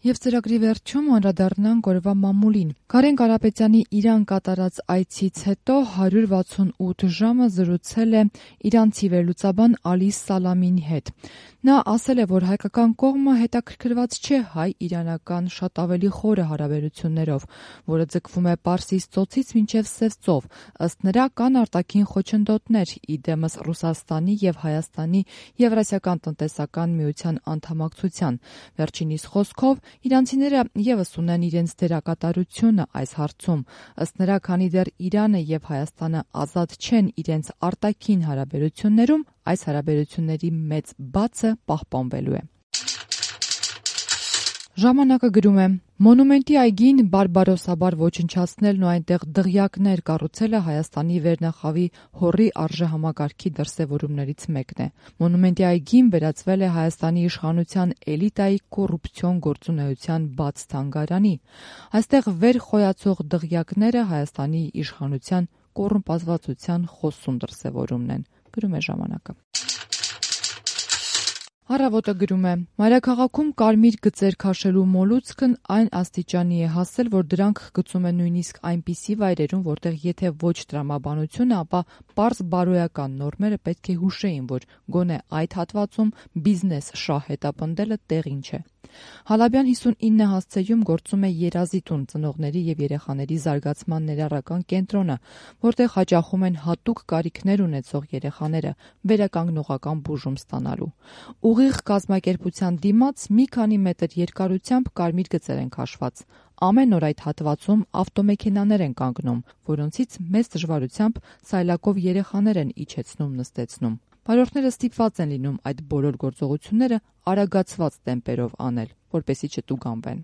Եվ ծրագրի վերջում անդրադառնանք օրվա մամուլին։ Կարեն Կարապետյանի Իրան կատարած այցից հետո 168 ժամը զրուցել է իրանցի վերլուծաբան Ալի Սալամիի հետ։ Նա ասել է, որ հայկական կողմը հետաքրքրված չէ հայ-իրանական շատ ավելի խորը հարաբերություններով, որը ձգվում է Պարսից ծոցից մինչև Սև ծով։ Ըստ նրա, կան արտաքին խոչընդոտներ՝ ի դեմս Ռուսաստանի եւ Հայաստանի Եվրասիական տնտեսական միության անդամակցության։ Վերջինիս խոսքով, իրանցիները ևս ունեն իրենց դերակատարությունը այս հարցում։ Ըստ նրա, քանի դեռ Իրանը եւ Հայաստանը ազատ չեն իրենց արտաքին հարաբերություններում, այս հարաբերությունների մեծ բացը պահպանվելու է։ Ժամանակը գրում է. Մոնումենտի այգին բարբարոսաբար ոչնչացնելն ու այնտեղ դղյակներ կառուցելը Հայաստանի վերնախավի հոռի արժեհամակարգի դրսևորումներից մեկն է։ Մոնումենտի այգին վերածվել է Հայաստանի իշխանության էլիտայի կոռուպցիոն գործունեության բաց թանգարանի։ Այստեղ վեր խոյացող դղյակները Հայաստանի իշխանության կոռումպացվածության խոսուն դրսևորումն են, գրում է ժամանակը։ Առավոտը գրում է. Մայրաքաղաքում կարմիր գծեր քաշելու մոլուցքն այն աստիճանի է հասել, որ դրանք գծում են նույնիսկ այնպիսի վայրերում, որտեղ եթե ոչ տրամաբանությունը, ապա պարզ բարոյական նորմերը պետք է հուշեին, որ գոնե այդ հատվածում բիզնես շահ հետապնդելը տեղին չէ։ Հալաբյան 59 հասցեում գործում է Երազի տուն, ծնողների եւ երեխաների զարգացման ներառական կենտրոնը, որտեղ հաճախում են հատուկ կարիքներ ունեցող երեխաները վերականգնողական բուժում ստանալու։ Ուղիղ կազմակերպության դիմաց մի քանի մետր երկարությամբ կարմիր գծեր են քաշված։ Ամեն օր այդ հատվածում ավտոմեքենաներ են կանգնում, որոնցից մեծ դժվարությամբ սայլակով երեխաներ են իջեցնում-նստեցնում։ Վարորդները ստիպված են լինում այդ բոլոր գործողությունները արագացված տեմպերով անել, որպեսզի չտուգանվեն։